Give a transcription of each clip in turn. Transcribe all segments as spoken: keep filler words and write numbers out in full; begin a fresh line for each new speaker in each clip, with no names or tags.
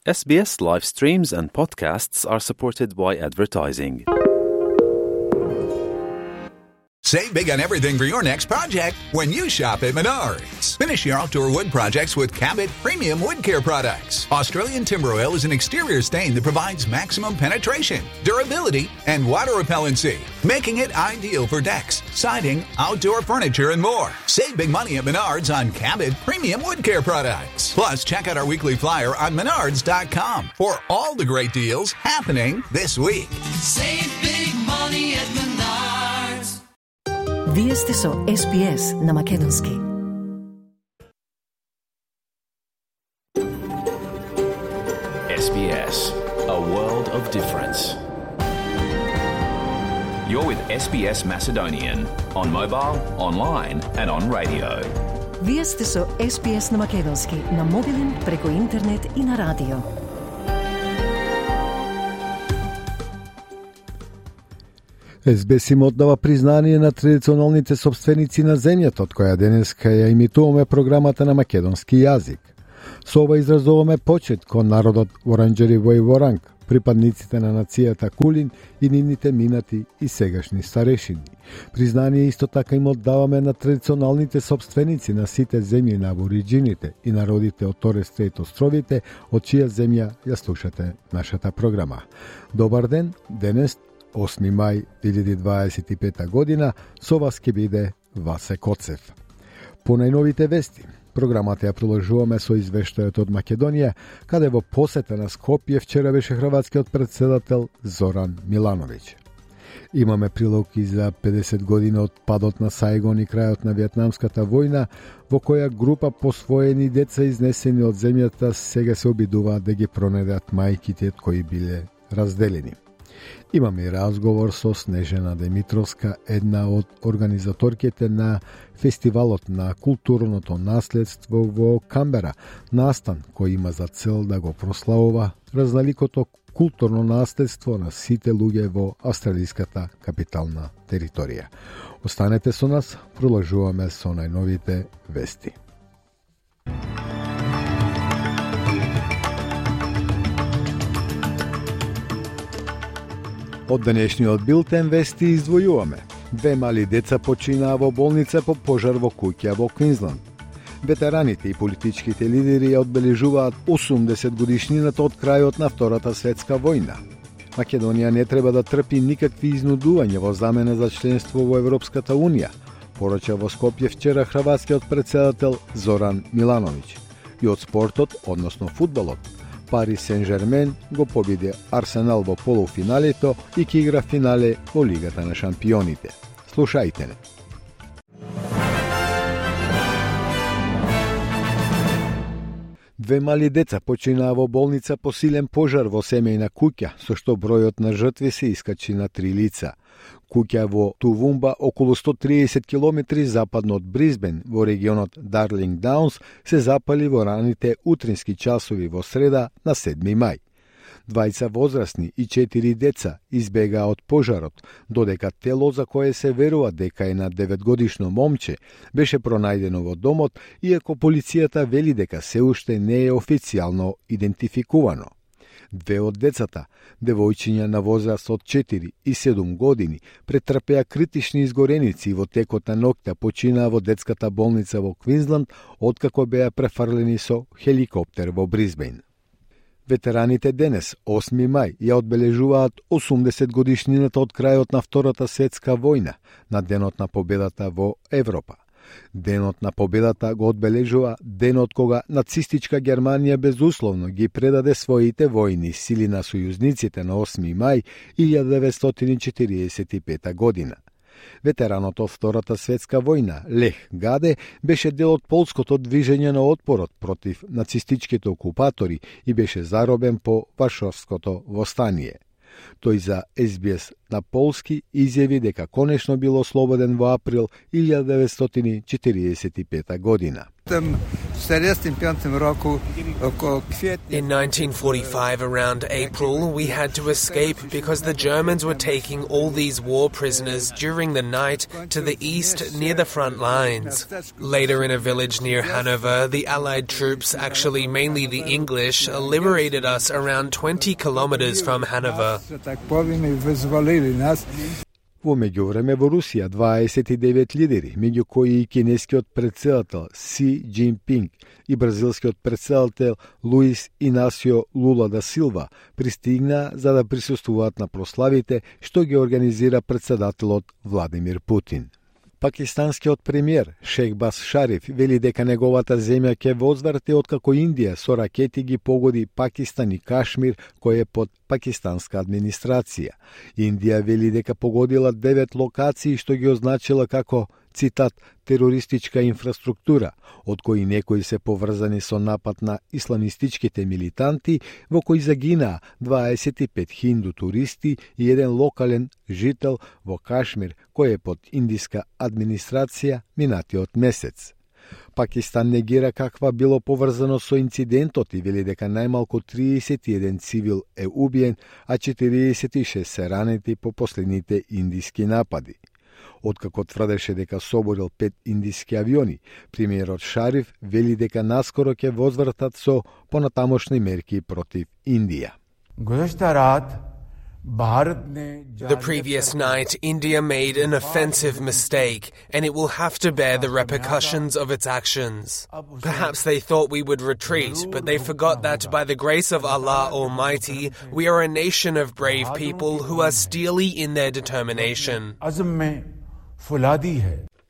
S B S live streams and podcasts are supported by advertising.
Save big on everything for your next project when you shop at Menards. Finish your outdoor wood projects with Cabot Premium Wood Care products. Australian timber oil is an exterior stain that provides maximum penetration, durability, and water repellency, making it ideal for decks, siding, outdoor furniture, and more. Save big money at Menards on Cabot Premium Wood Care products. Plus, check out our weekly flyer on menards dot com for all the great deals happening this week.
Save big money at Menards.
Вие сте со С Б С на Македонски.
S B S, a world of difference. You're with S B S Macedonian on mobile, online and on radio.
Вие сте со С Б С на Македонски на мобилен, преку интернет и на радио.
С Б С им оддава признание на традиционалните собственици на земјата, од која денеска ја имитуваме програмата на македонски јазик. Со ова изразуваме почет кон народот Воранџери во Воранг, припадниците на нацијата Кулин и нивните минати и сегашни старешини. Признание исто така им оддаваме на традиционалните собственици на сите земји на абориџините и народите од Торес Стрейт островите, од чија земја ја слушате нашата програма. Добар ден, денес осми мај две илјади дваесет и пета година, со вас ќе биде Васе Коцев. По најновите вести, програмата ја продолжуваме со извештајот од Македонија, каде во посета на Скопје вчера беше хрватскиот претседател Зоран Милановиќ. Имаме прилог и за педесет години од падот на Сајгон и крајот на Виетнамската војна, во која група посвоени деца изнесени од земјата сега се обидуваат да ги пронедат мајките кои биле разделени. Имаме и разговор со Снежана Димитровска, една од организаторките на фестивалот на културното наследство во Камбера, настан кој има за цел да го прославува разналикото културно наследство на сите луѓе во австралиската капитална територија. Останете со нас, продолжуваме со најновите вести. Од денешниот билтен вести издвојуваме. Две мали деца починаа во болница по пожар во куќа во Квинсланд. Ветераните и политичките лидери ја одбележуваат осумдесет годишнината од крајот на Втората светска војна. Македонија не треба да трпи никакви изнудувања во замена за членство во Европската унија, порача во Скопје вчера хрватскиот претседател Зоран Милановиќ. И од спортот, односно фудбалот, Парис Сен-Жермен го победи Арсенал во полуфиналето и ќе игра финале во Лигата на шампионите. Слушајте не. Две мали деца починаа во болница по силен пожар во семејна куќа, со што бројот на жртви се искачи на три лица. Куќа во Тувумба, околу сто триесет километри западно од Бризбен, во регионот Дарлинг Даунс, се запали во раните утрински часови во среда на седми мај. Двајца возрастни и четири деца избегаа од пожарот, додека тело за кое се верува дека е на деветгодишно момче беше пронајдено во домот, иако полицијата вели дека се уште не е официјално идентификувано. Две од децата, девојчиња на возраст од четири и седум години, претрпеа критични изгореници и во текот на ноќта починаа во детската болница во Квинсланд, откако беа префрлени со хеликоптер во Бризбен. Ветераните денес, осми мај, ја одбележуваат осумдесет годишнината од крајот на Втората светска војна, на денот на победата во Европа. Денот на победата го одбележува денот кога нацистичка Германија безусловно ги предаде своите војни сили на сојузниците на осми мај илјада деветстотини четириесет и пета година. Ветеранот од Втората светска војна, Лех Гаде, беше дел од полското движење на отпорот против нацистичките окупатори и беше заробен по Варшавското востание. Тој за С Б С на полски изјави дека конечно бил ослободен во април илјада деветстотини четириесет и пета година.
In nineteen forty-five, around April, we had to escape because the Germans were taking all these war prisoners during the night to the east near the front lines. Later, in a village near Hanover, the Allied troops, actually mainly the English, liberated us around twenty kilometers from Hanover.
Во меѓувреме во Русија дваесет и девет лидери, меѓу кои и кинескиот претседател Си Џинпинг и бразилскиот претседател Луис Инасио Лула да Силва, пристигна за да присуствуваат на прославите што ги организира претседателот Владимир Путин. Пакистанскиот премиер Шехбаз Шариф вели дека неговата земја ќе возврати откако Индија со ракети ги погоди Пакистан и Кашмир, кој е под пакистанска администрација. Индија вели дека погодила девет локации што ги означила како, цитат, терористичка инфраструктура, од кои некои се поврзани со напад на исламистичките милитанти, во кои загинаа дваесет и пет хинду туристи и еден локален жител во Кашмир, кој е под индиска администрација минатиот месец. Пакистан негира каква било поврзано со инцидентот и вели дека најмалку триесет и еден цивил е убиен, а четириесет и шест се ранети по последните индиски напади. Откако тврдеше дека соборил пет индиски авиони, премиерот Шариф вели дека наскоро ќе возвратат со понатамошни мерки против Индија.
The previous night, India made an offensive mistake, and it will have to bear the repercussions of its actions. Perhaps they thought we would retreat, but they forgot that by the grace of Allah Almighty, we are a nation of brave people who are steely in their determination.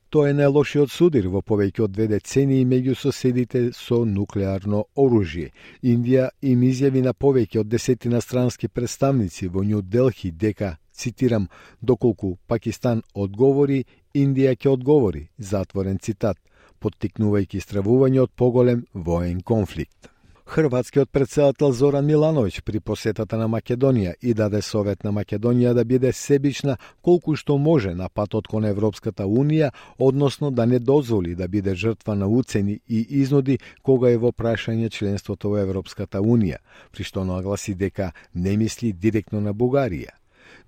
Тоа е најлошиот судир во повеќе од две децении меѓу соседите со нуклеарно оружје. Индија им изјави на повеќе од десетина странски представници во Њу Делхи дека, цитирам, доколку Пакистан одговори, Индија ќе одговори, затворен цитат, поттикнувајќи стравување од поголем воен конфликт. Хрватскиот претседател Зоран Милановиќ при посетата на Македонија и даде совет на Македонија да биде себична колку што може на патот кон Европската Унија, односно да не дозволи да биде жртва на уцени и изнуди кога е во прашање членството во Европската Унија, при што нагласи дека не мисли директно на Бугарија.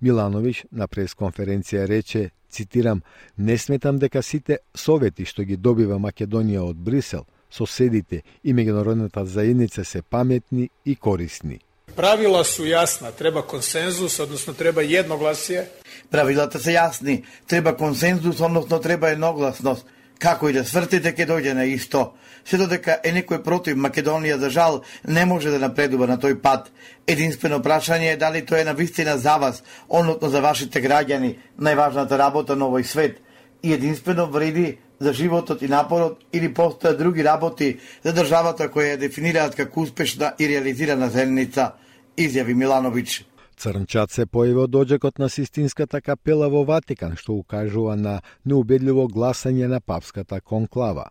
Милановиќ на пресконференција рече, цитирам, не сметам дека сите совети што ги добива Македонија од Брисел, соседите и меѓународната заедница се паметни и корисни.
Правила су јасна, треба консензус, односно треба едногласие.
Правилата се јасни, треба консензус, односно треба едногласност. Како и да свртите, ќе дојде на исто. Се додека е некој против Македонија, за жал, не може да напредува на тој пат. Единствено прашање е дали тоа е навистина за вас, односно за вашите граѓани, најважната работа на овој свет. И единствено вреди за животот и напорот или постојат други работи за државата која ја дефинираат како успешна и реализирана земница, изјави Милановиќ.
Црнчат се појави од доđекот на Систинската капела во Ватикан, што укажува на неубедливо гласање на папската конклава.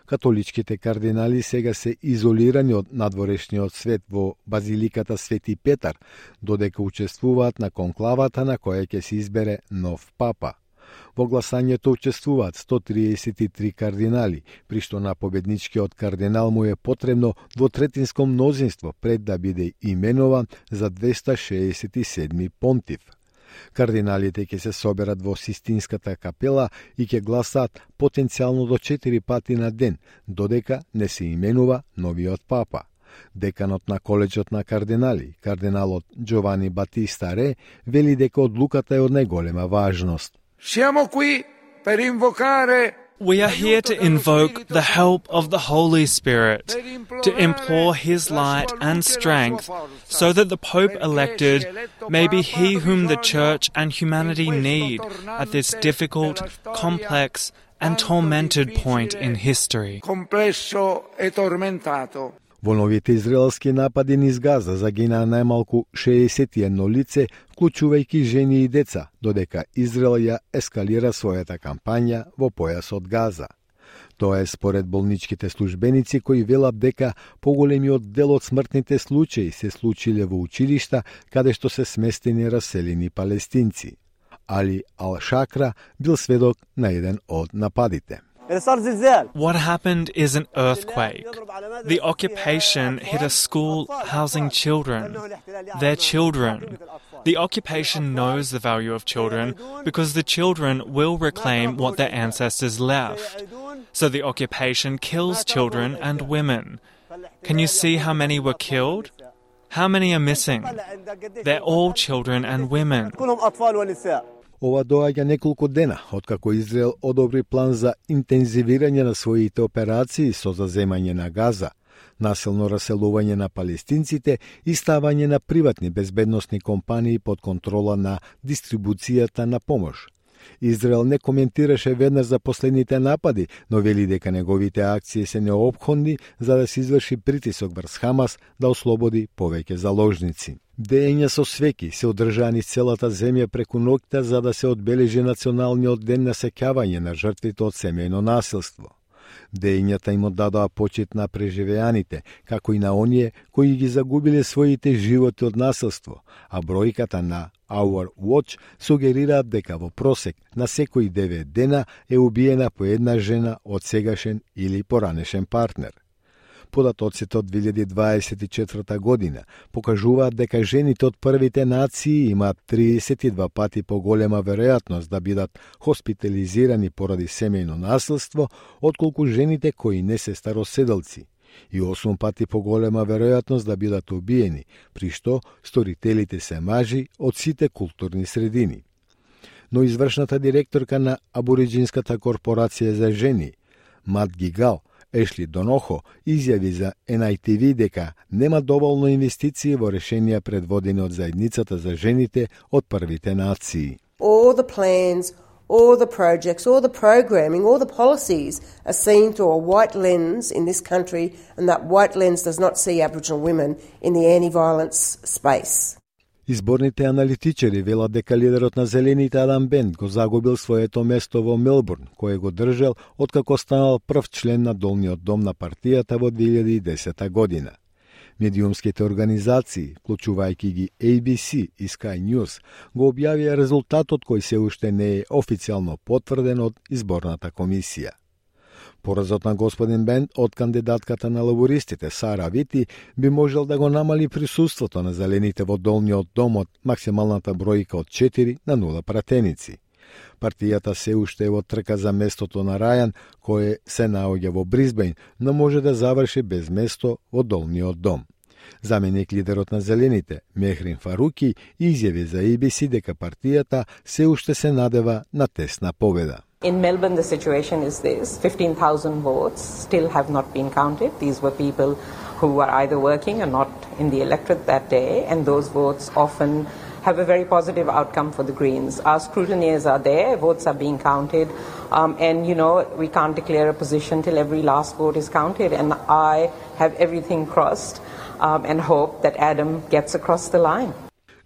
Католичките кардинали сега се изолирани од надворешниот свет во Базиликата Свети Петар, додека учествуваат на конклавата на која ќе се избере нов папа. Во гласањето учествуваат сто триесет и три кардинали, при што на победничкиот кардинал му е потребно двотретинско мнозинство пред да биде именован за двеста шеесет и седми понтив. Кардиналите ќе се соберат во Систинската капела и ќе гласаат потенцијално до четири пати на ден, додека не се именува новиот папа. Деканот на коледжот на кардинали, кардиналот Джовани Батиста Ре, вели дека одлуката е од најголема важност.
Siamo qui per invocare
We are here to invoke the help of the Holy Spirit, to implore His light and strength, so that the Pope elected may be he whom the Church and humanity need at this difficult, complex, and tormented point in history.
complesso e tormentato.
Во новите израелски напади низ Газа загинаа најмалку шеесет и едно лице, вклучувајќи жени и деца, додека Израел ја ескалира својата кампања во појасот Газа. Тоа е според болничките службеници кои велат дека поголемиот дел од смртните случаи се случиле во училишта каде што се сместени раселени палестинци. Али Ал-Шакра бил сведок на еден од нападите.
What happened is an earthquake. The occupation hit a school housing children. Their children. The occupation knows the value of children because the children will reclaim what their ancestors left. So the occupation kills children and women. Can you see how many were killed? How many are missing? They're all children and women.
Ова доаѓа неколку дена откако Израел одобри план за интензивирање на своите операции со заземање на Газа, насилно раселување на палестинците и ставање на приватни безбедносни компании под контрола на дистрибуцијата на помош. Израел не коментираше веднаш за последните напади, но вели дека неговите акции се неопходни за да се изврши притисок врз Хамас да ослободи повеќе заложници. Деења со свеки се одржани целата земја преку ноќта за да се одбележи националниот ден на сеќавање на жртвите од семејно насилство. Деењата им оддадоа почит на преживеаните, како и на оние кои ги загубиле своите животи од насилство, а бројката на Our Watch сугерираат дека во просек на секои девет дена е убиена по една жена од сегашен или поранешен партнер. Податоците од две илјади дваесет и четврта година покажуваат дека жените од првите нации имаат триесет и два пати поголема веројатност да бидат хоспитализирани поради семејно насилство, отколку жените кои не се староседалци, и осум пати поголема веројатност да бидат убиени, при што сторителите се мажи од сите културни средини. Но извршната директорка на Абориджинската корпорација за жени, Мат Гигал, Ешли Донохо, изјави за Ен Ај Ти Ви дека нема доволно инвестиции во решенија предводени од заедницата за жените од првите нации.
All the plans, all the projects, all the programming, all the policies are seen through a white lens in this country, and that white lens does not see Aboriginal women in the anti-violence space.
Изборните аналитичари велат дека лидерот на Зелените Адам Бент го загубил своето место во Мелбурн, кое го држал откако станал прв член на долниот дом на партијата во две илјади и десета година. Медиумските организации, вклучувајќи ги Ей Би Си и Sky News, го објавија резултатот кој се уште не е официјално потврден од изборната комисија. Поразот на господин Бент од кандидатката на лабористите Сара Вити би можел да го намали присуството на зелените во долниот дом од максималната бројка од четири на нула пратеници. Партијата се уште е во трка за местото на Рајан, кое се наоѓа во Брисбејн, но може да заврши без место во долниот дом. Заменик лидерот на Зелените, Мехрин Фаруки, изјави за Ей Би Си дека партијата се уште се надева на тесна победа.
In Melbourne, the situation is this. fifteen thousand votes still have not been counted. These were people who were either working or not in the electorate that day, and those votes often have a very positive outcome for the Greens. Our scrutineers are there, votes are being counted, um, and, you know, we can't declare a position till every last vote is counted, and I have everything crossed um, and hope that Adam gets across the line.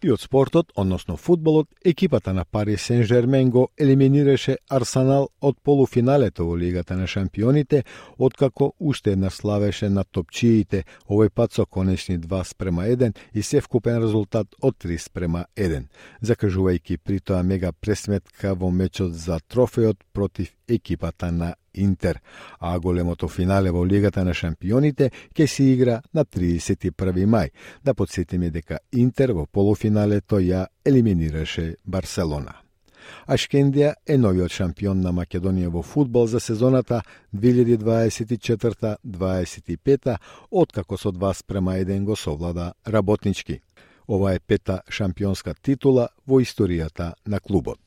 И од спортот, односно фудбалот, екипата на Пари Сен-Жермен го елиминираше Арсенал од полуфиналето во Лигата на шампионите, откако уште една славеше на топчиите, овој пат со конечни два спрема еден и севкупен резултат од три спрема еден, закажувајќи при тоа мега пресметка во мечот за трофеот против екипата на Интер, а големото финале во Лигата на шампионите ќе се игра на триесет и први мај. Да подсетиме дека Интер во полуфиналето ја елиминираше Барселона. Ашкендија е новиот шампион на Македонија во фудбал за сезоната две илјади дваесет и четврта дваесет и пета, откако со два спрема еден го совлада работнички. Ова е пета шампионска титула во историјата на клубот.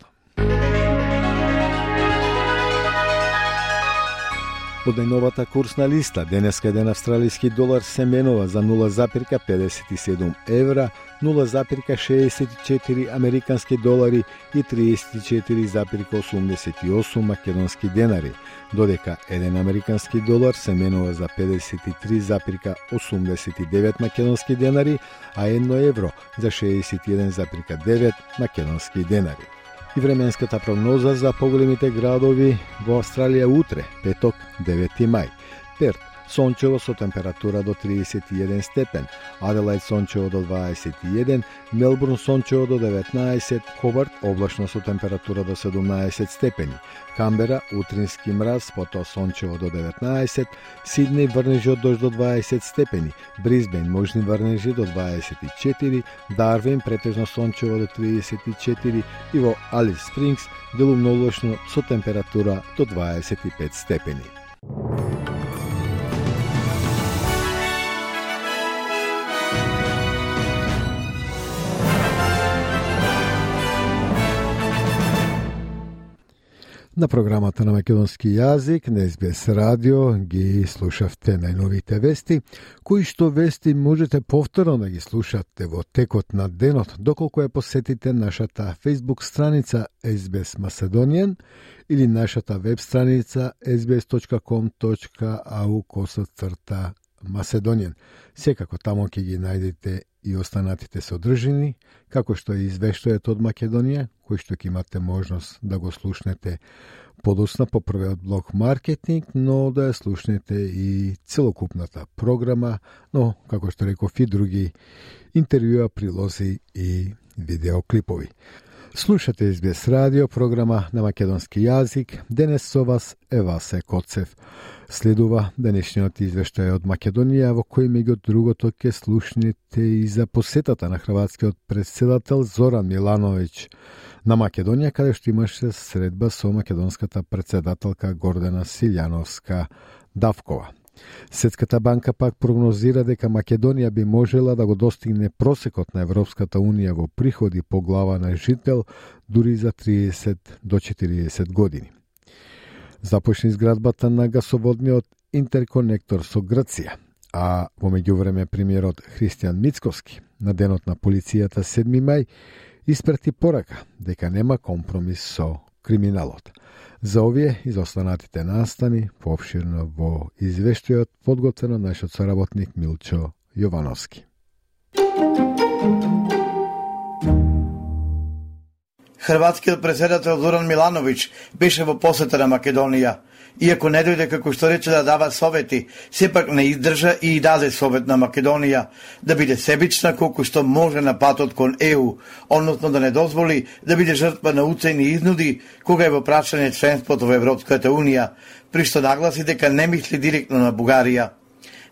Од најновата курсна листа, денеска еден австралиски долар се менува за нула запирка педесет и седум евра, нула запирка шеесет и четири американски долари и триесет и четири запирка осумдесет и осум македонски денари, додека еден американски долар се менува за педесет и три запирка осумдесет и девет македонски денари, а едно евро за шеесет и еден запирка девет македонски денари. И временската прогноза за поголемите градови во Австралија утре, петок, девети мај. Перт сончево со температура до триесет и еден степен, Аделаид сончево до дваесет и еден, Мелбурн сончево до деветнаесет, Хобарт облачно со температура до седумнаесет степени, Камбера утрински мраз, потоа сончево до деветнаесет, Сиднеј врнежи од дожд до дваесет степени, Брисбејн можни врнежи до дваесет и четири, Дарвин претежно сончево до триесет и четири и во Алис Спрингс делумно облачно со температура до дваесет и пет степени. На програмата на македонски јазик на Ес Би Ес радио ги слушавте најновите вести, кои што вести можете повторно да ги слушате во текот на денот, доколку ја посетите нашата Facebook страница Ес Би Ес Macedonian или нашата веб страница ес би ес точка ком точка ей ю косацрта Macedonian. Секако тамо ќе ги најдете и останатите содржини, како што е извештајот од Македонија, кој што ќе имате можност да го слушнете подоцна по првиот блок маркетинг, но да ја слушнете и целокупната програма, но, како што реков, и други интервјуа, прилози и видеоклипови. Слушате Ес Би Ес радио, програма на македонски јазик. Денес со вас е Васе Коцев. Следува денешниот извештај од Македонија, во кој меѓу другото ќе слушнете и за посетата на хрватскиот претседател Зоран Милановиќ на Македонија, каде што имаше средба со македонската претседателка Гордана Силјановска Давкова. Светската банка пак прогнозира дека Македонија би можела да го достигне просекот на Европската Унија во приходи по глава на жител дури за триесет до четириесет години. Започне изградбата на гасоводниот интерконектор со Грција, а во меѓувреме премиерот Христијан Мицковски на денот на полицијата седми мај испрати порака дека нема компромис со криминалот. За овие и за останатите настани поопширно во извештајот подготвено нашиот соработник Милчо Јовановски.
Хрватскиот претседател Зоран Милановиќ беше во посета на Македонија. Иако не дојде како што рече да дава совети, сепак не издржа и даде совет на Македонија да биде себична колку што може на патот кон Е Ю, односно да не дозволи да биде жртва на уцени изнуди кога е во прашање членството во Европската Унија, при што нагласи дека не мисли директно на Бугарија.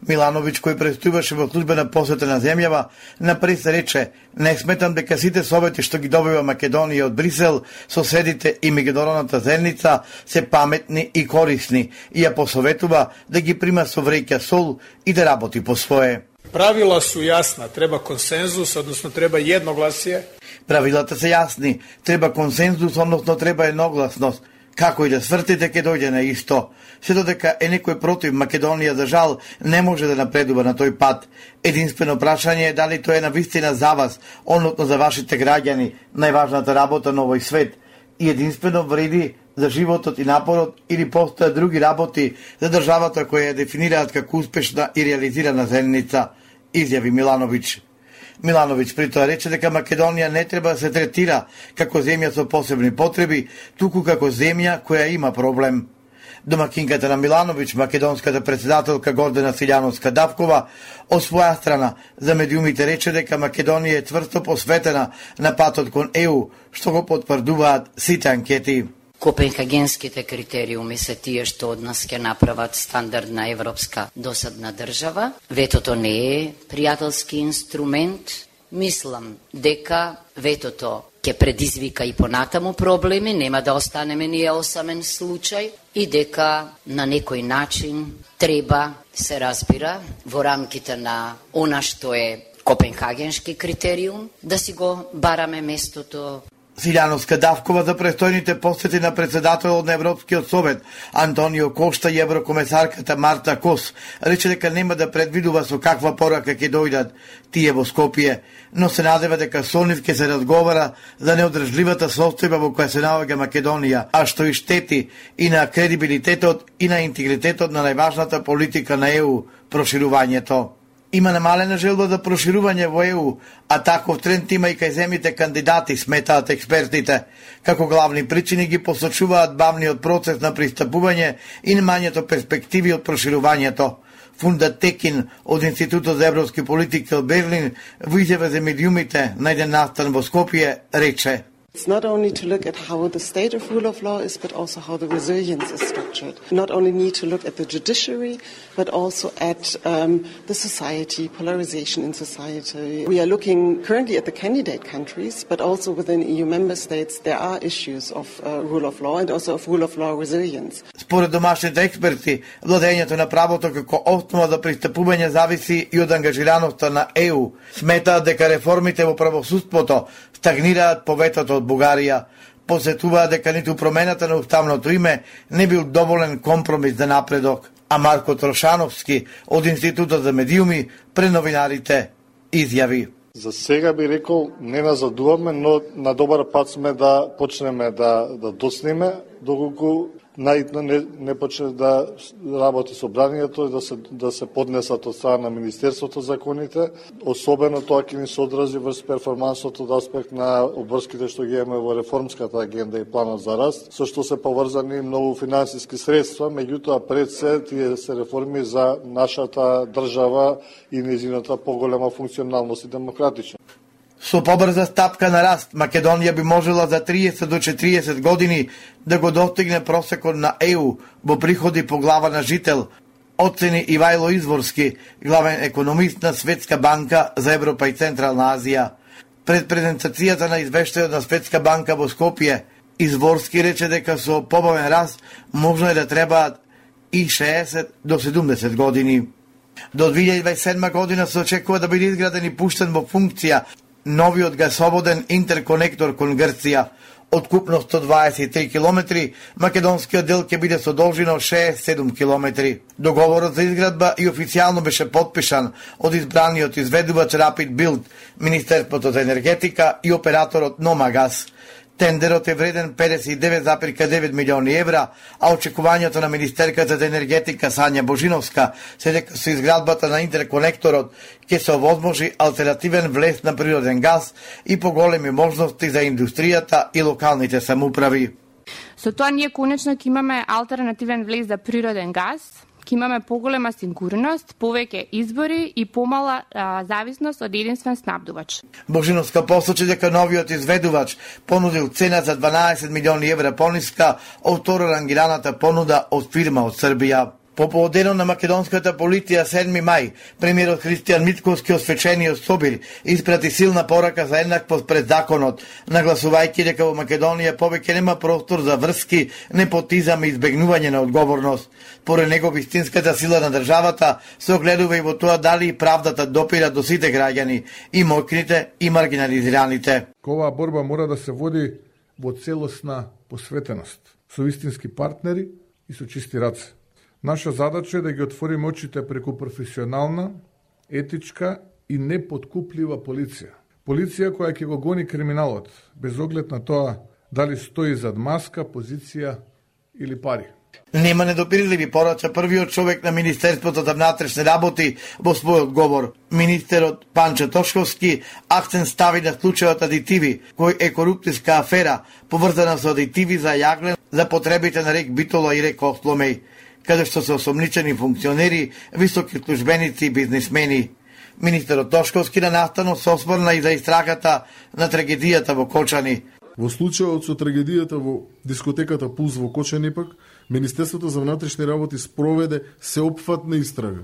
Милановиќ, кој престојуваше во службена посета на земјава, напред рече: "Не сметам дека сите совети што ги добива Македонија од Брисел, соседите и меѓународната заедница се паметни и корисни, и ја посоветува да ги прима со вреќа сол и да работи по свое."
Правила су јасна, треба консензус, односно треба едногласие.
Правилата се јасни, треба консензус, односно треба едногласност. Како и да свртите, ќе дојде на исто. Се додека е некој против Македонија, за жал, не може да напредува на тој пат. Единствено прашање е дали тоа е навистина за вас, односно за вашите граѓани, најважната работа на овој свет. И единствено вреди за животот и напорот, или постојат други работи за државата која ја дефинираат како успешна и реализирана заедница, изјави Милановиќ. Милановиќ при тоа рече дека Македонија не треба да се третира како земја со посебни потреби, туку како земја која има проблем. Домакинката на Милановиќ, македонската претседателка Гордана Силјановска Давкова, од своја страна за медиумите рече дека Македонија е тврсто посветена на патот кон Е Ю, што го потврдуваат сите анкети.
Копенхагенските критериуми се тие што од нас ќе направат стандардна европска досадна држава. Ветото не е пријателски инструмент. Мислам дека ветото ќе предизвика и понатаму проблеми, нема да останеме ние осамен случај, и дека на некој начин треба, се разбира, во рамките на она што е Копенхагенски критериум, да си го бараме местото.
Силјановска Давкова за престојните посети на претседателот на Европскиот совет Антонио Кошта и еврокомесарката Марта Кос рече дека нема да предвидува со каква порака ќе дојдат тие во Скопје, но се надева дека со нив ќе се разговара за неодржливата состојба во која се наоѓа Македонија, а што и штети и на кредибилитетот и на интегритетот на најважната политика на Е Ю, проширувањето. Има намалена желба за проширување во Е Ю, а таков тренд има и кај земјите кандидати, сметаат експертите. Како главни причини ги посочуваат бавниот процес на пристапување и немањето перспективи од проширувањето. Фунда Текин од Институтот за европски политики од Берлин во изјава за медиумите на еден настан во Скопје рече:
It's not only to look at how the state of rule of law is, but also how the resilience is structured. Not only need to look at the judiciary, but also at um, the society, polarization in society. We are looking currently at the candidate countries, but also within E U member states there are issues of uh, rule of law and also of rule of law resilience.
Според домашните експерти, владењето на правото како основа за пристапување зависи и од ангажираноста на Е У. Сметаат дека реформите во правосудството стагнираат по ветото од Бугарија. Посетуваат дека ниту промената на уставното име не бил доволен компромис за напредок. А Марко Трошановски од Институтот за медиуми пред новинарите изјави:
За сега би рекол не назадуваме, но на добар пат сме да почнеме да, да доцниме, доколку најитно не, не почне да работи собранието и да се, да се поднесат од страна на Министерството законите. Особено тоа ќе ни се одрази врз перформансот од аспект на обврските што ги имаме во реформската агенда и планот за раст, со што се поврзани многу финансиски средства, меѓутоа пред се тие се реформи за нашата држава и нејзината поголема функционалност и демократичност.
Со побрза стапка на раст, Македонија би можела за триесет до четириесет години да го достигне просекот на Е У во приходи по глава на жител, оцени Ивајло Изворски, главен економист на Светска банка за Европа и Централна Азија. Пред презентацијата на извештајот на Светска банка во Скопје, Изворски рече дека со побавен раст можно е да требаат и шеесет до седумдесет години. До две илјади дваесет и седма година се очекува да биде изграден и пуштен во функција новиот гасоводен интерконектор кон Грција. Од купно сто дваесет и три километри, македонскиот дел ќе биде со должина шеесет и седум километри. Договорот за изградба и официјално беше потпишан од избраниот изведувач Rapid Build, Министерството за енергетика и операторот Номагас. Тендерот е вреден педесет и девет зарез девет милиони евра, а очекувањето на министерката за енергетика Сања Божиновска се дека со изградбата на интерконекторот ќе се овозможи алтернативен влез на природен газ и поголеми можности за индустријата и локалните самоуправи.
Со тоа ние конечно ќе имаме алтернативен влез за природен газ, ќе имаме поголема сигурност, повеќе избори и помала а, зависност од единствен снабдувач.
Божиновска посочи дека новиот изведувач понудил цена за дванаесет милиони евра пониска од второ рангираната понуда од фирма од Србија. По поводено на македонската полиција седми мај, премиерот Христијан Мицковски освечениот Собир испрати силна порака за еднаквост пред законот, нагласувајќи дека во Македонија повеќе нема простор за врски, непотизам и избегнување на одговорност. Поред него вистинската сила на државата се огледува и во тоа дали правдата допира до сите граѓани, и моќните и маргинализираните.
Оваа борба мора да се води во целосна посветеност, со вистински партнери и со чисти раце. Наша задача е да ги отвориме очите преку професионална, етичка и непоткуплива полиција. Полиција која ќе го гони криминалот, без оглед на тоа дали стои зад маска, позиција или пари.
Нема недопирливи, порача првиот човек на Министерството за внатрешни работи во својот говор. Министерот Панчо Тошковски акцент стави на случајот адитиви, кој е коруптивска афера, поврзана со адитиви за јаглен за потребите на рек Битола и рек Осломеј, каде што се осомничени функционери, високи службеници и бизнисмени. Министерот Тошковски на настанот се осврна и за истрагата на трагедијата во Кочани.
Во случајот со трагедијата во дискотеката Пулс во Кочани пак, Министерството за внатрешни работи спроведе сеопфатна истрага.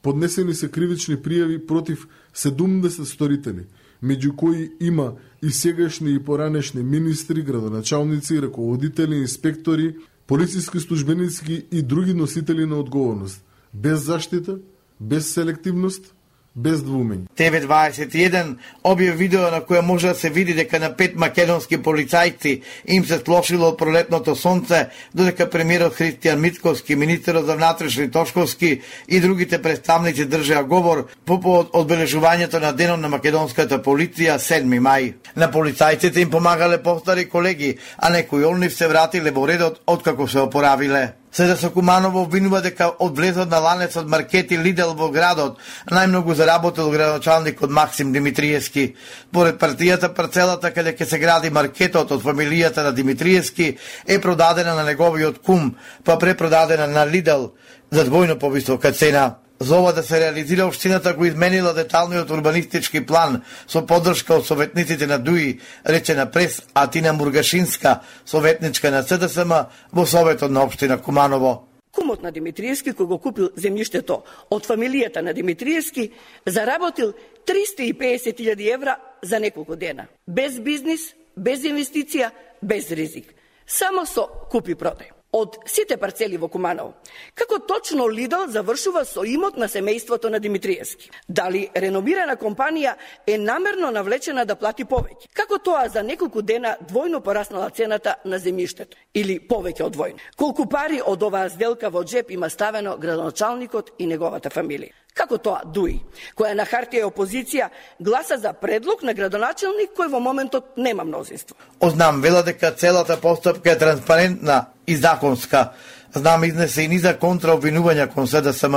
Поднесени се кривични пријави против седумдесет сторители, меѓу кои има и сегашни и поранешни министри, градоначалници, раководители, инспектори, полициски службеници и други носители на одговорност, без заштита, без селективност, без двумење.
Те ве дваесет и еден објави видео на кое може да се види дека на пет македонски полицајци им се слошило од пролетното сонце, додека премиерот Христијан Мицковски, министерот за внатрешни Тошковски и другите представници држеа говор по повод одбележувањето на денот на македонската полиција седми мај. На полицајците им помагале постари колеги, а некои од нив се вратиле во редот откако се опоравиле. Седа Куманово обвинува дека од влезот на ланецот маркети Лидел во градот најмногу заработил градоначалникот Максим Димитриевски. Поред партијата, парцелата каде ќе се гради маркетот од фамилијата на Димитриевски е продадена на неговиот кум, па препродадена на Лидел, за двојно повисока цена. За ова да се реализира, општината го изменила деталниот урбанистички план со поддршка од советниците на ДУИ, речена прес Атина Мургашинска, советничка на СДСМ во Советот на општина Куманово.
Кумот на Димитриевски, кој го купил земјиштето од фамилијата на Димитриевски, заработил триста и песет илјади евра за неколку дена. Без бизнис, без инвестиција, без ризик. Само со купи-продај. Од сите парцели во Куманово, како точно Лидл завршува со имот на семејството на Димитриевски? Дали реномирана компанија е намерно навлечена да плати повеќе? Како тоа за неколку дена двојно пораснала цената на земјиштето? Или повеќе од двојно? Колку пари од оваа сделка во джеп има ставено градоначалникот и неговата фамилија? Како тоа ДУИ, која на хартија е опозиција, гласа за предлог на градоначалник кој во моментот нема мнозинство?
Ознам вела дека целата постапка е транспарентна и законска. Знам изнесе и низа контраобвинувања кон СДСМ.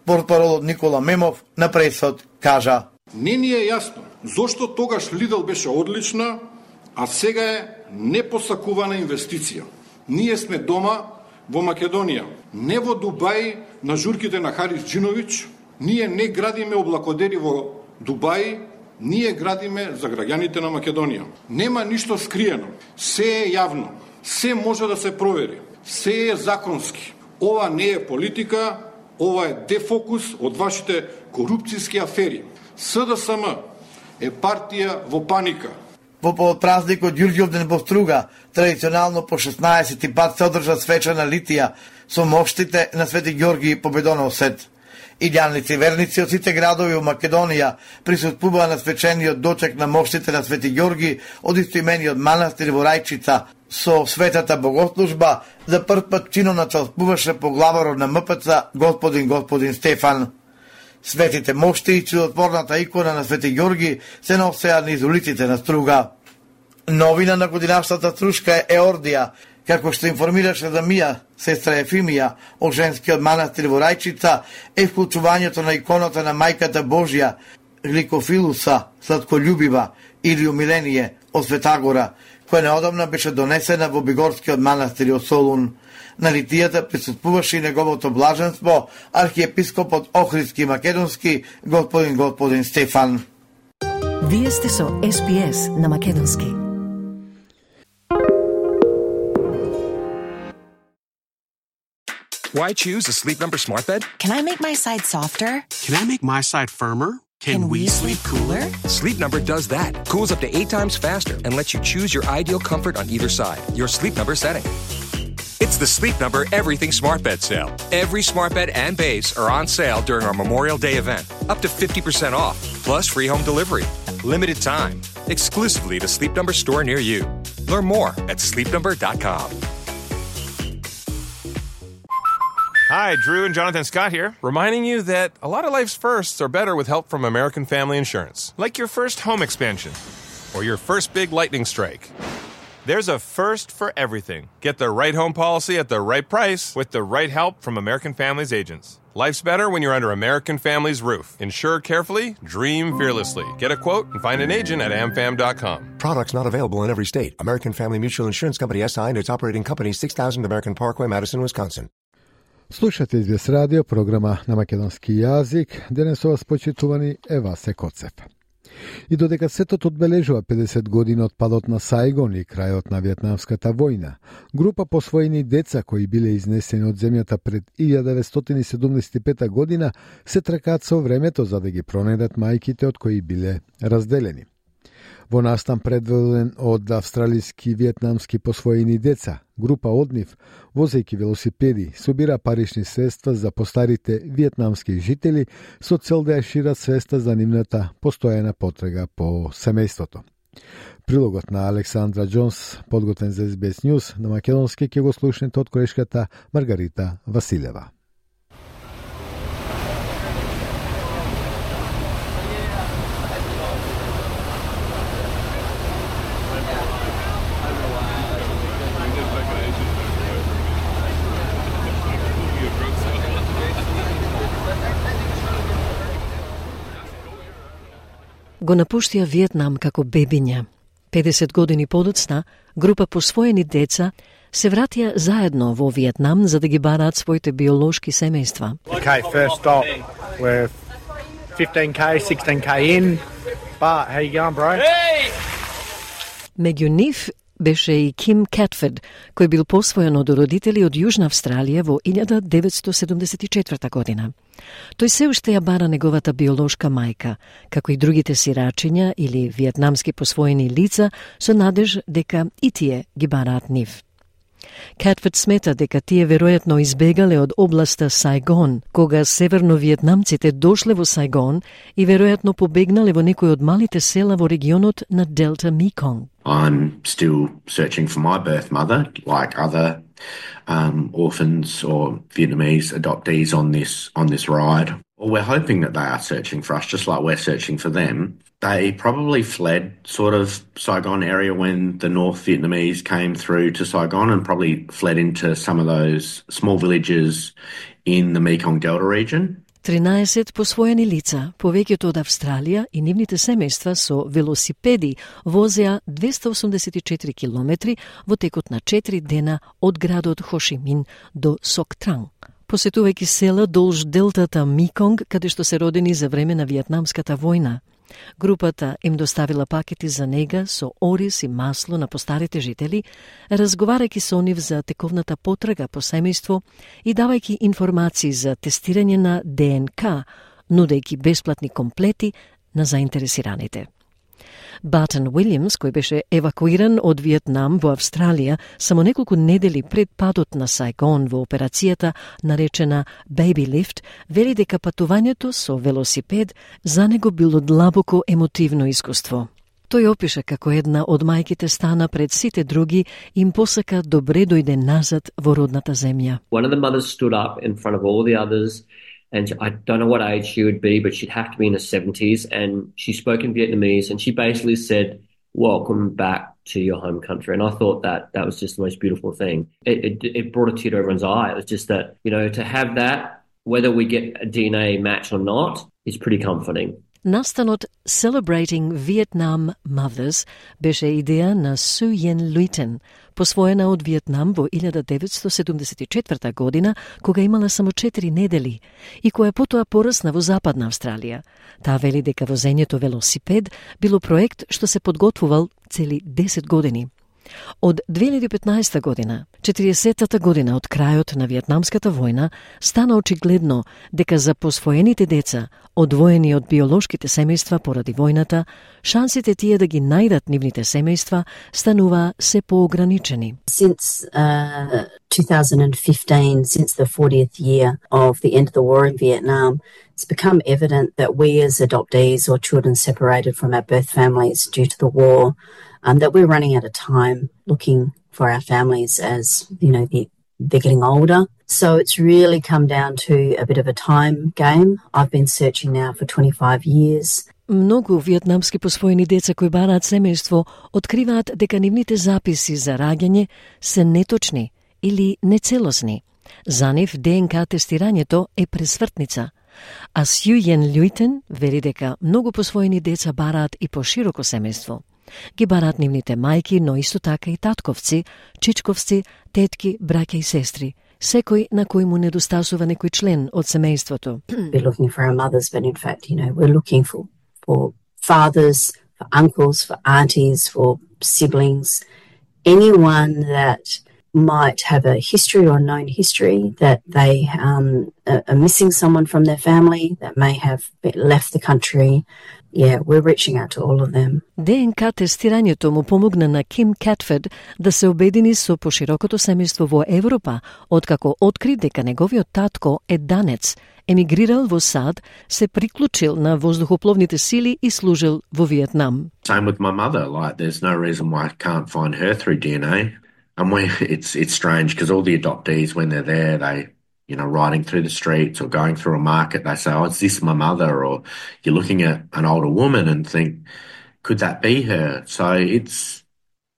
Портпаролот Никола Мемов на пресот кажа:
Не ни е јасно зошто тогаш Лидл беше одлична, а сега е непосакувана инвестиција. Ние сме дома во Македонија, не во Дубај на журките на Харис Джинович. Ние не градиме облакодери во Дубај, ние градиме за граѓаните на Македонија. Нема ништо скриено, се е јавно, се може да се провери, се е законски. Ова не е политика, ова е дефокус од вашите корупцијски афери. СДСМ е партија во паника.
Во празникот Ѓурѓовден во Струга, традиционално по шеснаесети пат се одржа свечана литија со моштите на Свети Ѓорги победоносец. Илјаници верници од сите градови во Македонија присуствуваа на свечениот дочек на моштите на Свети Ѓорги од истоимениот манастир во Рајчица. Со светата богослужба за прв пат чино началствуваше поглаварот на МПЦ господин господин Стефан. Светите мошти и чудотворната икона на Свети Ѓорги се носеа низ улиците на Струга. Новина на годинашната струшка е Еордија, како што информираше за Мија, сестра Ефимија, од женскиот манастир во Рајчица, е вклучувањето на иконата на Мајката Божја, Гликофилуса, сладколюбива, или умиление од Светагора, која неодамна беше донесена во Бигорскиот манастир од Солун. На литијата присуствуваше и неговото блаженство, архиепископот Охридски Македонски, господин господин Стефан.
Вие сте со Ес Би Ес на Македонски.
Why choose a Sleep Number smart bed?
Can I make my side softer?
Can I make my side firmer?
Can, Can we sleep cooler?
Sleep Number does that. Cools up to eight times faster and lets you choose your ideal comfort on either side. Your Sleep Number setting. It's the Sleep Number Everything Smart Bed sale. Every smart bed and base are on sale during our Memorial Day event. Up to fifty percent off, plus free home delivery. Limited time. Exclusively to Sleep Number store near you. Learn more at sleep number dot com.
Hi, Drew and Jonathan Scott here, reminding you that a lot of life's firsts are better with help from American Family Insurance. Like your first home expansion or your first big lightning strike. There's a first for everything. Get the right home policy at the right price with the right help from American Family's agents. Life's better when you're under American Family's roof. Insure carefully, dream fearlessly. Get a quote and find an agent at am fam dot com.
Products not available in every state. American Family Mutual Insurance Company S I and its operating company six thousand American Parkway, Madison, Wisconsin.
Слушате Ес Би Ес радио, програма на македонски јазик. Денес со вас почитувани е Васе Коцев. И додека светот одбележува педесет години од падот на Сајгон и крајот на Виетнамската војна, група посвоени деца кои биле изнесени од земјата пред илјада деветстотини седумдесет и пета година се тркаат со времето за да ги пронедат мајките од кои биле разделени. Во настан предводен од австралиски и виетнамски посвоени деца, група од нив, возејќи велосипеди, собира парични средства за постарите виетнамски жители со цел да ја шират свеста за нивната постојана потрега по семејството. Прилогот на Александра Џонс, подготвен за Ес Би Ес News на македонски, ќе го слушнете од колешката Маргарита Василева.
Го напуштија Виетнам како бебиња. педесет години подоцна, група посвоени деца се вратија заедно во Виетнам за да ги бараат своите биолошки семејства.
Okay, first stop. We're fifteen K, sixteen K in. But how you going, bro? Hey!
Меѓу нив беше и Ким Кетфорд, кој бил посвоен од родители од Јужна Австралија во илјада деветстотини седумдесет и четврта година. Тој се уште ја бара неговата биолошка мајка, како и другите сирачиња или виетнамски посвоени лица со надеж дека и тие ги бараат нив. Кетфорд смета дека тие веројатно избегале од областа Сайгон, кога северно-виетнамците дошле во Сайгон и веројатно побегнале во некој од малите села во регионот на Делта Меконг.
I'm still searching for my birth mother, like other um, orphans or Vietnamese adoptees on this on this ride. Well, we're hoping that they are searching for us, just like we're searching for them. They probably fled sort of Saigon area when the North Vietnamese came through to Saigon and probably fled into some of those small villages in the Mekong Delta region.
тринаесет посвоени лица, повеќето од Австралија и нивните семејства со велосипеди возеа двеста осумдесет и четири километри во текот на четири дена од градот Хошимин до Соктранг, посетувајќи села долж делтата Меконг, каде што се родени за време на Виетнамската војна. Групата им доставила пакети за нега со ориз и масло на постарите жители, разговарајќи со нив за тековната потрага по семејство и давајќи информации за тестирање на ДНК, нудејќи бесплатни комплети на заинтересираните. Батен Уилјамс, кој беше евакуиран од Виетнам во Австралија само неколку недели пред падот на Сайгон во операцијата наречена Baby Lift, вели дека патувањето со велосипед за него било длабоко емотивно искуство. Тој опиша како една од мајките стана пред сите други и им посака добре дојде назад во родната земја.
One of the mothers stood up in front of all the others. And I don't know what age she would be, but she'd have to be in her seventies. And she spoke in Vietnamese, and she basically said, "Welcome back to your home country." And I thought that that was just the most beautiful thing. It, it, it brought a tear to everyone's eye. It was just that, you know, to have that, whether we get a D N A match or not, is pretty comforting.
Настанот Celebrating Vietnam Mothers беше идеја на Су Yen Луитен, посвоена од Виетнам во илјада деветстотини седумдесет и четврта година, кога имала само четири недели и која потоа порасна во Западна Австралија. Таа вели дека возењето велосипед било проект што се подготвувал цели десет години. Од две илјади и петнаесета година, четириесеттата година од крајот на Виетнамската војна, стана очигледно дека за посвоените деца, одвоени од биолошките семејства поради војната, шансите тие да ги најдат нивните семејства станува се поограничени.
Since uh, two thousand fifteen, since the fortieth year of the end of the war in Vietnam, it's become evident that we as adoptees or children separated from our birth families due to the war, um, that we're running out of time looking for our families as, you know, the, they're getting older. So it's really come down to a bit of a time game. I've been searching now for twenty-five years.
Многу виетнамски посвоени деца кои бараат семејство откриваат дека нивните записи за раѓање се неточни или нецелосни. За нив ДНК тестирањето е пресвртница. А Су Yen Луитен вели дека многу посвоени деца бараат и пошироко семејство. Ги бараат нивните мајки, но исто така и татковци, чичковци, тетки, браќа и сестри. Секој на кој му недостасува некој член од семејството.
We're looking for our mothers, but in fact, you know, we're looking for, for fathers, for uncles, for aunties, for siblings, anyone that might have a history or known history that they um, are missing someone from their family that may have left the country. Yeah, we're reaching out to all of them.
ДНК тестирањето му помогна на Ким Кетфорд да се обедини со поширокото семејство во Европа, откако откри дека неговиот татко е данец, емигрирал во САД, се приклучил на воздухопловните сили и служил во Виетнам.
Same with my mother. Like, there's no reason why I can't find her through D N A. And we, it's it's strange because all the adoptees, when they're there, they, you know, riding through the streets or going through a market, they say, "Oh, is this my mother?" Or you're looking at an older woman and think, "Could that be her?" So it's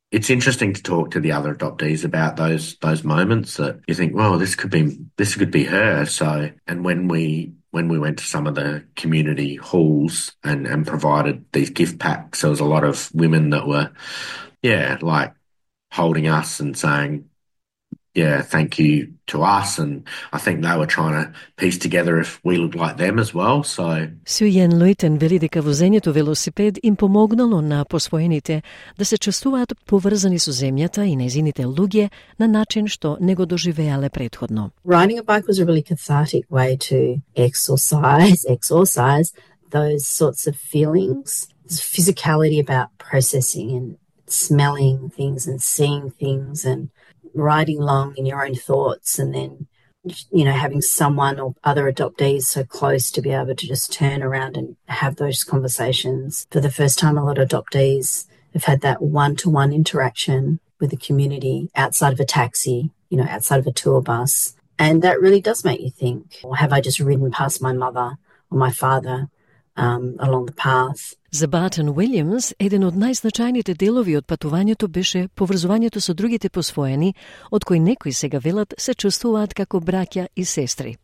it's interesting to talk to the other adoptees about those those moments that you think, "Well, this could be this could be her." So, and when we when we went to some of the community halls and, and provided these gift packs, there was a lot of women that were, yeah, like holding us and saying, yeah, thank you to us, and I think they were trying to piece together if we looked like them as well, so...
Сюјен Луитен вели дека возењето велосипед им помогнало на посвоените да се чувствуваат поврзани со земјата и незините луѓе на начин што не го доживеале претходно.
Riding a bike was a really cathartic way to exorcise, exorcise those sorts of feelings. There's physicality about processing and smelling things and seeing things and riding along in your own thoughts, and then, you know, having someone or other adoptees so close to be able to just turn around and have those conversations. For the first time, a lot of adoptees have had that one-to-one interaction with the community outside of a taxi, you know, outside of a tour bus. And that really does make you think, or have I just ridden past my mother or my father um, along the path?
За Бартон Уилјамс, еден од најзначајните делови од патувањето беше поврзувањето со другите посвоени, од кои некои сега велат се чувствуваат како браќа и сестри.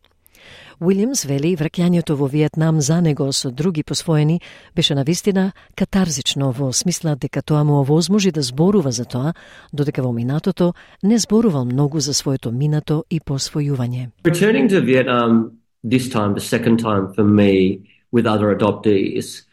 Уилјамс вели враќањето во Виетнам за него со други посвоени беше навистина катарзично во смисла дека тоа му овозможи да зборува за тоа, додека во минатото не зборувал многу за своето минато и посвојување.
Returning to Vietnam this time, the second time for me with other adoptees,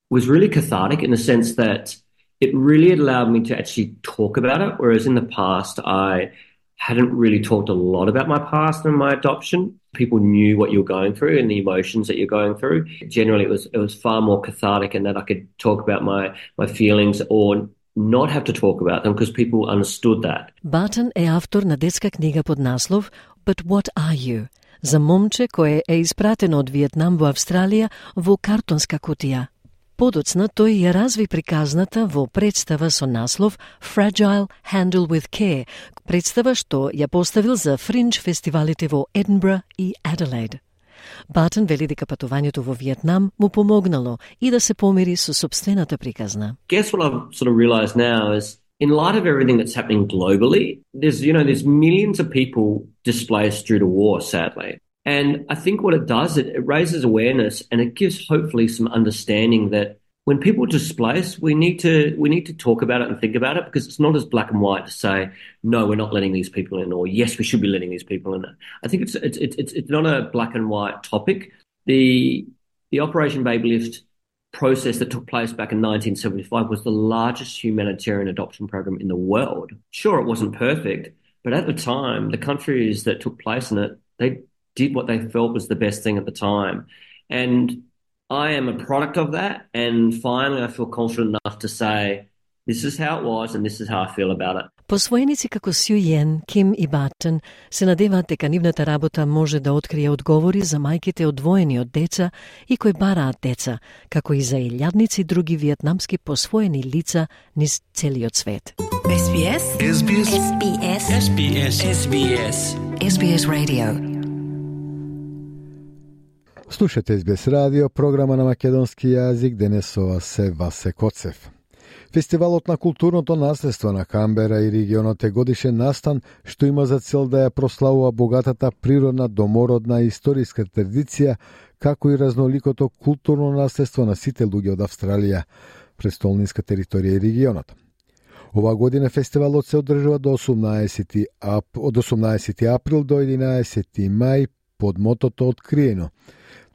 was really cathartic in the sense that it really allowed me to actually talk about it, whereas in the past I hadn't really talked a lot about my past and my adoption. People knew what you were going through and the emotions that you're going through. Generally, it was it was far more cathartic in that I could talk about my my feelings or not have to talk about them because people understood that.
Бартон е автор на детска книга под наслов But What Are You? За момче кое е испратено од Виетнам во Австралија во картонска кутија. Подоцна тој ја разви приказната во представа со наслов Fragile Handle with Care, представа што ја поставил за фриндж фестивалите во Единбро и Аделаид. Бартон вели дека патувањето во Виетнам му помогнало и да се помири со собствената приказна.
Guess what I've sort of realized now is in light of everything that's happening globally, there's, you know, there's millions of people displaced due to war, sadly. And I think what it does, it, it raises awareness and it gives hopefully some understanding that when people displace, we need to we need to talk about it and think about it because it's not as black and white to say, no, we're not letting these people in, or yes, we should be letting these people in. I think it's it's it's it's not a black and white topic. The the Operation Baby Lift process that took place back in nineteen seventy-five was the largest humanitarian adoption program in the world. Sure, it wasn't perfect, but at the time, the countries that took place in it, they did what they felt was the best thing at the time. And I am a product of that, and finally I feel confident enough to say, this is how it was and this is how I feel about it.
Посвоеници како Сюјен, Ким и Бартон се надеваат дека нивната работа може да открие одговори за мајките одвоени од деца и кои бараат деца, како и за илјадници други виетнамски посвоени лица низ целиот свет.
Ес Би Ес. Ес Би Ес. Ес Би Ес. Ес Би Ес. Ес Би Ес. Ес Би Ес Radio.
Слушате Ес Би Ес радио, програма на македонски јазик, денес со вас се Васе Коцев. Фестивалот на културното наследство на Камбера и регионот е годишен настан што има за цел да ја прославува богатата природна, домородна и историска традиција, како и разноликото културно наследство на сите луѓе од Австралија, престолниска територија и регионот. Ова година фестивалот се одржува до осумнаесети ап... од осумнаесети април до единаесети мај под мотото Откриено,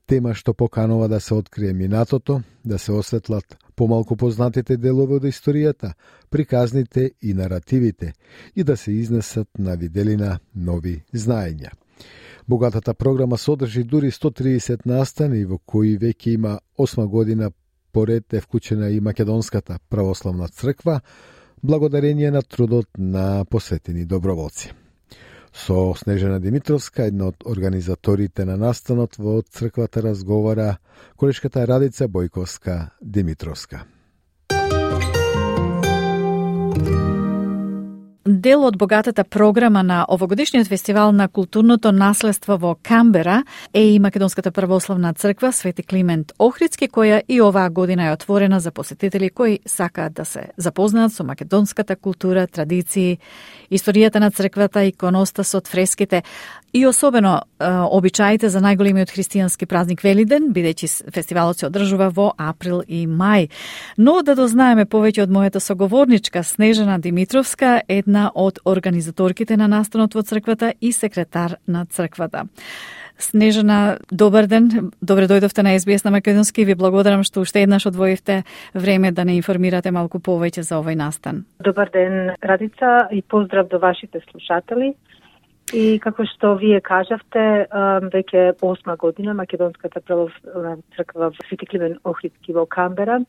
тема што поканува да се открие минатото, да се осветлат помалку познатите делови од историјата, приказните и наративите и да се изнесат на виделина нови знаења. Богатата програма содржи дури сто триесет настани во кои веќе има осма година поред е вклучена и Македонската православна црква, благодарение на трудот на посветени доброволци. Со Снежана Димитровска, една од организаторите на настанот во црквата, разговара колешката Радица Бојковска Димитровска.
Дел од богатата програма на овогодишниот фестивал на културното наследство во Камбера е и Македонската православна црква Свети Климент Охридски, која и оваа година е отворена за посетители кои сакаат да се запознаат со македонската култура, традиции, историјата на црквата, иконостасот, фреските и особено обичаите за најголемиот христијански празник Велиден, бидејќи фестивалот се одржува во април и мај. Но да дознаеме повеќе од мојата соговорничка Снежана Димитровска, една од организаторките на настанот во црквата и секретар на црквата. Снежана, добар ден. Добре дојдовте на Ес Би Ес на македонски. Ви благодарам што уште еднаш одвоивте време да не информирате малку повеќе за овој настан.
Добар ден, Радица, и поздрав до вашите слушатели. И како што вие кажавте, веќе осма година Македонската православна црква Свети Климент Охридски во Камбера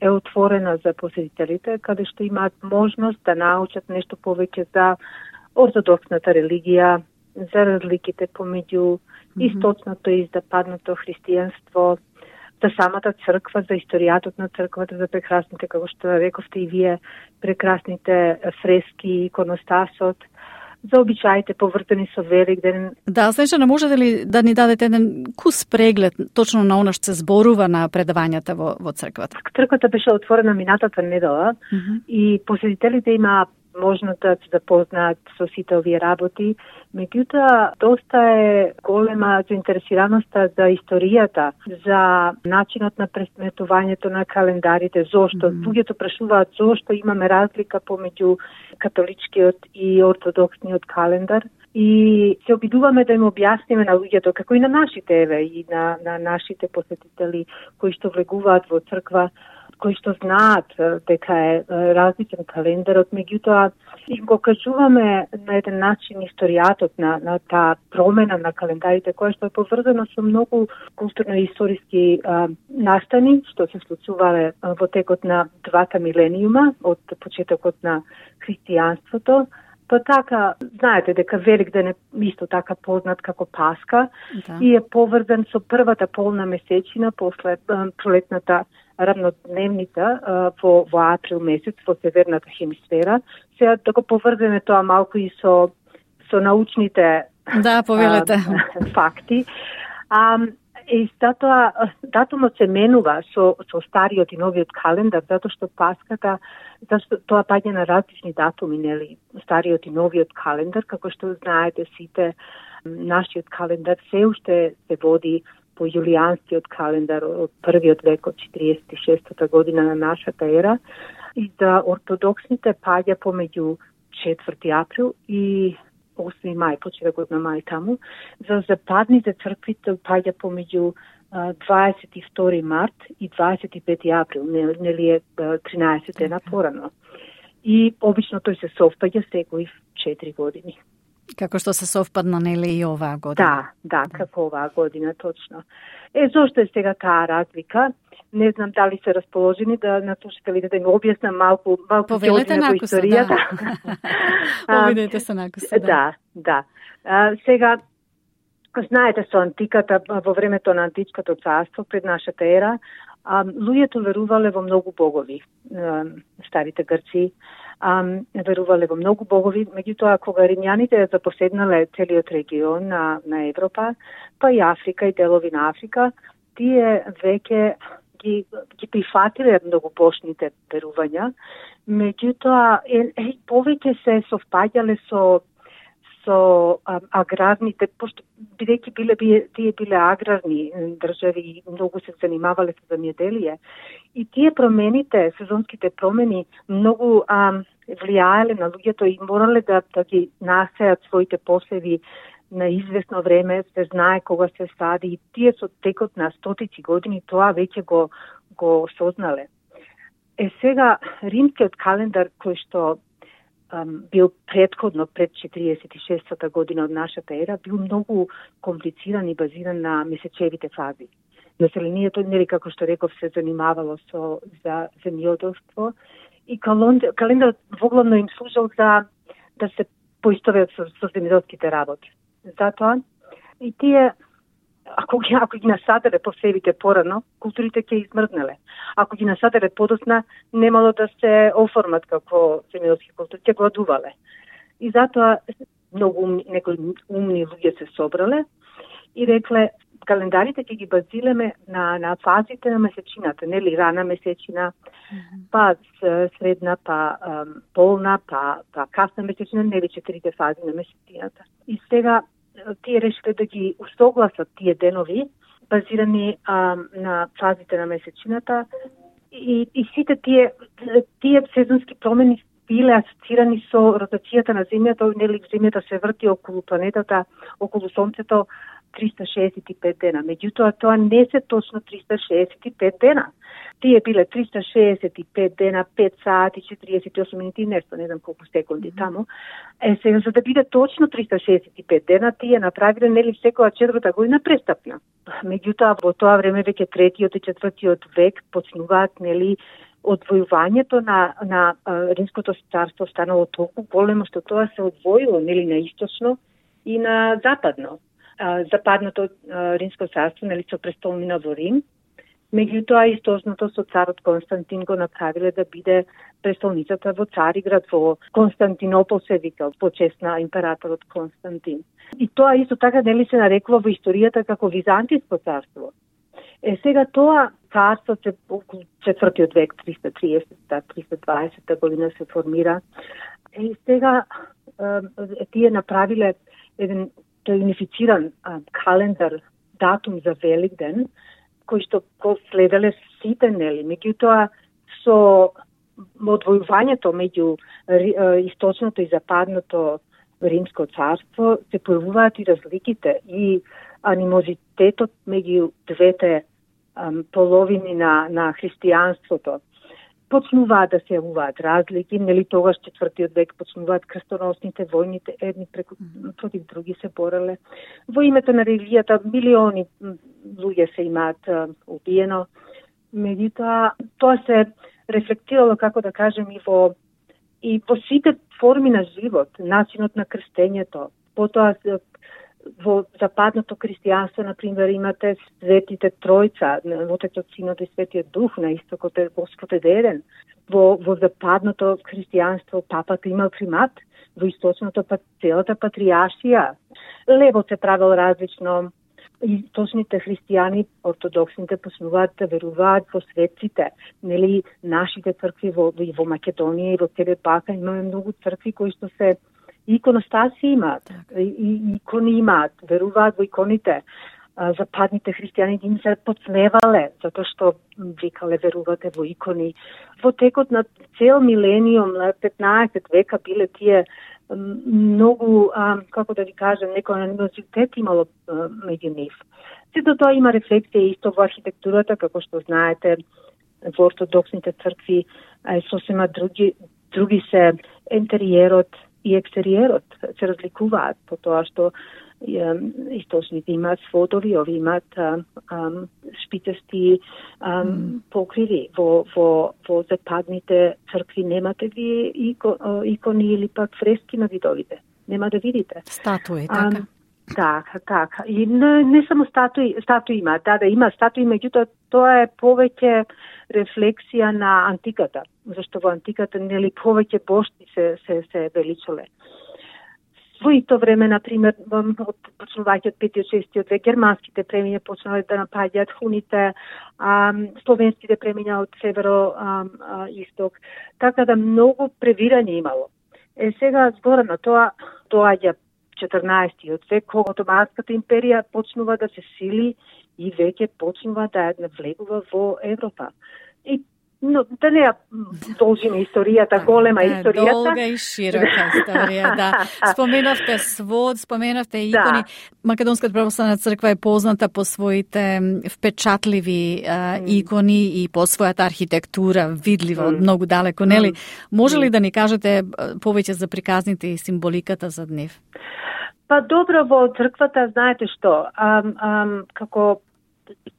е отворена за посетителите, каде што имаат можност да научат нешто повеќе за ортодоксната религија, за разликите помеѓу источното и западното христијанство, за самата црква, за историјатот на црквата, за прекрасните, како што рековте и вие, прекрасните фрески, иконостасот, за обичаите повртени со Великден.
Да, Снежана, можете ли да ни дадете еден кус преглед точно на она што се зборува на предавањата во, во црквата?
Црквата беше отворена минатата недела mm -hmm. и посетителите имаа можност да се запознаат со сите овие работи. Меѓутоа, доста е голема заинтересираноста за историјата, за начинот на пресметувањето на календарите, зошто. Mm -hmm. Луѓето прашуваат зошто имаме разлика помеѓу католичкиот и ортодоксниот календар. И се обидуваме да им објасниме на луѓето, како и на нашите, еве, и на, на нашите посетители кои што влегуваат во црква, кои што знаат дека е различен календарот, меѓутоа им го кажуваме на еден начин историјатот на, на таа промена на календарите, која што е поврзана со многу културно-историски настани, што се случувале во текот на двата милениума, од почетокот на христијанството. Па така, знаете дека Великден е исто така познат како Паска да. И е поврзан со првата полна месечина после пролетната рамнодневница во, во април месец во северната хемисфера. Сега да го поврземе тоа малку и со, со научните
да, повелете.
А, факти. А, и затоа датумот се менува со, со стариот и новиот календар, затоа што Паската, зашто тоа паѓа на различни датуми, нели, стариот и новиот календар, како што знаете сите, нашиот календар се уште се води по јулијанскиот календар од првиот век, од четириесет и шестата година на нашата ера, и за ортодоксните паѓа помеѓу четврти април и осми мај, почетокот на мај таму. За западните црквите паѓа помеѓу дваесет и втори март и дваесет и пети април, нели е тринаесет дена порано. И обично тој се совпаѓа секои четири години.
Како што се совпадна, нели, и оваа година?
Да, да, како оваа година, точно. Е, зошто е сега таа разлика? Не знам дали се расположени да на слушателите да им објаснам малку, малку
повелете
во историјата.
Да. Поведете се накуса, да.
Да, да. А, сега, знаете, со антиката, во времето на античкото царство, пред нашата ера, а, луѓето верувале во многу богови, а, старите грци, а, верувале во многу богови, меѓутоа кога римјаните запоседнале целиот регион на, на Европа, па и Африка и делови на Африка, тие веќе ги, ги прифатиле многобожните верувања, меѓутоа е, е, повеќе се совпаѓале со со а, аграрните, пошто бидејќи биле тие биле аграрни држави и многу се занимавале со земјоделие. И тие промените, сезонските промени, многу а, влијаеле на луѓето и морале да, да ги насеат своите посеви на известно време, се знае кога се сади, и тие со текот на стотици години тоа веќе го, го сознале. Е сега, римскиот календар кој што um, бил предходно пред четириесет и шестата година од нашата ера, бил многу комплициран и базиран на месечевите фази. Населението, нели како што реков, се занимавало со за земјоделство и календарот воглавно им служел за да се поистоветат со, со земјоделските работи. Затоа и тие, ако ги, ако ги насаделе посевите порано, културите ќе измрзнале. Ако ги насаделе подосна, немало да се оформат како земјоделски култури, ќе гладувале. И затоа многу умни, некои умни луѓе се собрале и рекле календарите ќе ги базираме на на фазите на месечината, нели рана месечина, mm-hmm. па средна, па um, полна, па па касна месечина, нели четирите фази на месечината. И сега тие решиле да ги усогласат тие денови базирани um, на фазите на месечината и и сите тие тие сезонски промени биле асоцирани со ротацијата на земјата, нели земјата се врти околу планетата, околу сонцето триста шеесет и пет дена. Меѓутоа, тоа не се точно триста шеесет и пет дена. Тие биле триста шеесет и пет дена, пет сати, четириесет и осум минути, нешто, не знам колку секунди mm-hmm. таму. Е, сега, за да биде точно триста шеесет и пет дена, тие направиле, нели, секоја четврта година престапна. Меѓутоа, во тоа време веќе третиот и четвртиот век почнуваат, нели, одвојувањето на, на а, Римското царство станало толку големо, што тоа се одвоило, нели, на источно и на западно. Западното Римско царство, нели, со престолнина во Рим, меѓутоа источното со царот Константин го направиле да биде престолницата во Цариград, во Константинопол се викал, по чест на императорот Константин. И тоа исто така, нели, се нарекува во историјата како Византиско царство. Е, сега тоа царство се околу четвртиот век, триста триесетта - триста дваесетта година се формира. И сега е, тие направиле еден тој унифициран а, календар, датум за Великден, кој што го следеле сите, нели, меѓутоа со одвојувањето меѓу источното и западното Римско царство се појавуваат и разликите и анимозитетот меѓу двете ам, половини на, на христијанството. Почнуваат да се јавуваат разлики, нели тогаш четвртиот век почнуваат крстоносните војните, едни преку, против други се бореле. Во името на религијата милиони луѓе се имаат убиено. Меѓутоа, тоа се рефлектирало, како да кажем, и во и во сите форми на живот, начинот на крстењето. Потоа во западното христијанство, например, имате светите тројца, Отецот, Синот и Светиот Дух, на истокот е Господ еден. Во, во западното христијанство папата имал примат, во источното па целата патриаршија. Левот се правил различно. Источните христијани, ортодоксните, почнуваат да веруваат во светците. Нели, нашите цркви во, во Македонија и во целия Балкан имаме многу цркви кои што се иконостаси имаат, и икони имаат, веруваат во иконите. Западните христијани им се подсмевале, затоа што викале верувате во икони. Во текот на цел милениум, на петнаесет века, биле тие многу, а, како да ви кажем, некој анимозитет имало а, меѓу нив. Сето тоа има рефлексија исто во архитектурата, како што знаете, во ортодоксните цркви е сосема други, други се интериерот и екстериерот се разликуваат по тоа што источните имаат сводови, ови имаат шпицести ам, покриви. Во, во, во западните цркви немате ви ико, икони или пак фрески на видовите. Нема да видите.
Статуи, така?
Ам, така, така. И не, не само статуи, статуи има, да, да има статуи, меѓутоа тоа е повеќе рефлексија на антиката, зашто во антиката нели повеќе бошти се се се величале. Во исто време, например, почнувајќи од петиот шестиот век, германските племиња почнале да напаѓаат хуните, а, словенските племиња од северо а, а, исток, така да многу превирање имало. Е сега збора на тоа доаѓа четрнаесеттиот век, кога Отоманската империја почнува да се сили и веќе почнува да навлегува во Европа. И но да не ја должиме историјата, голема
да,
историјата.
Долга и широка историја, да. Споменавте свод, споменавте икони. Да. Македонската православна црква е позната по своите впечатливи а, икони и по својата архитектура, видлива mm. од многу далеко, нели? Може ли да ни кажете повеќе за приказните и символиката за нив?
Па добро, во црквата, знаете што, ам, ам, како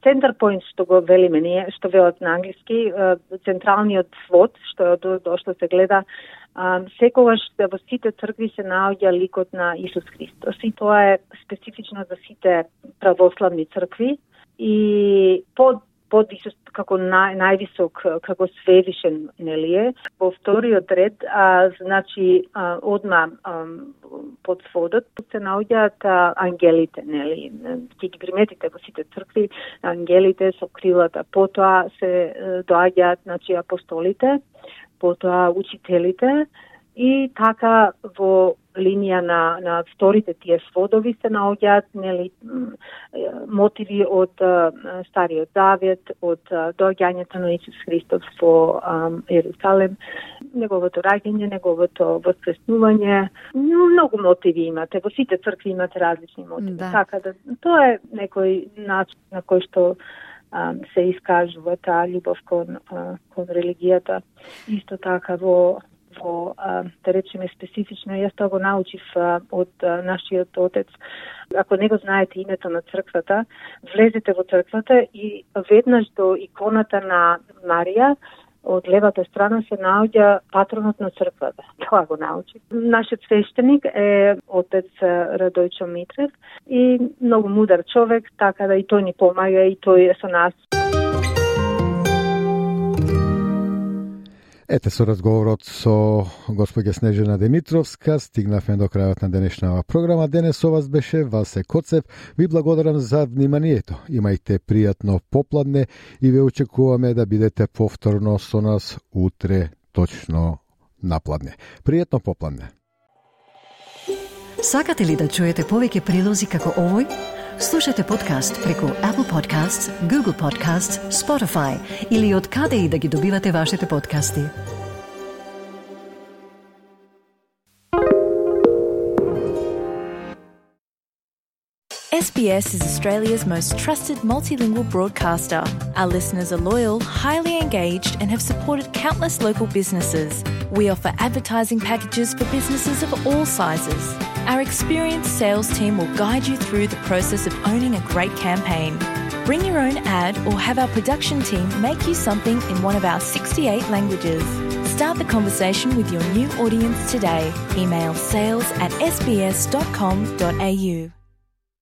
center point, што го велиме ние, што велат на англиски, централниот свод, што до, до што се гледа, секогаш во сите цркви се наоѓа ликот на Исус Христос. И тоа е специфично за сите православни цркви. И под подвисок како нај, највисок како свевишен, нели е. Во вториот ред, а, значи а, одма а, под сводот се наоѓаат а, ангелите, нели. Ќе ги приметите во сите цркви, ангелите со крилата. Потоа се доаѓаат, значи апостолите, потоа учителите и така во линија на на вторите тие сводови се наоѓаат, нели, мотиви од Стариот Завет, од доаѓањето на Исус Христос во Ерусалем, неговото раѓање, неговото воскреснување. Многу мотиви имате, во сите цркви имате различни мотиви. Да. Така да тоа е некој начин на кој што се искажува таа љубов кон кон религијата. Исто така во во, да речеме, специфично, јас тоа го научив од нашиот отец. Ако не го знаете името на црквата, влезете во црквата и веднаш до иконата на Марија, од левата страна се наоѓа патронот на црквата. Тоа го научив. Нашиот свештеник е отец Радојчо Митрев и многу мудар човек, така да и тој ни помага и тој е со нас.
Ете, со разговорот со госпоѓа Снежана Димитровска стигнавме до крајот на денешната програма. Денес со вас беше Васе Коцев. Ви благодарам за вниманието. Имајте пријатно попладне и ве очекуваме да бидете повторно со нас утре точно напладне. Пријатно попладне.
Сакате ли да чуете повеќе прилози како овој? Слушате подкаст преку Apple Podcasts, Google Podcasts, Spotify или од каде и да ги добивате вашите подкасти.
S B S is Australia's most trusted multilingual broadcaster. Our listeners are loyal, highly engaged, and have supported countless local businesses. We offer advertising packages for businesses of all sizes. Our experienced sales team will guide you through the process of owning a great campaign. Bring your own ad or have our production team make you something in one of our sixty-eight languages. Start the conversation with your new audience today. Email sales at s b s dot com dot a u.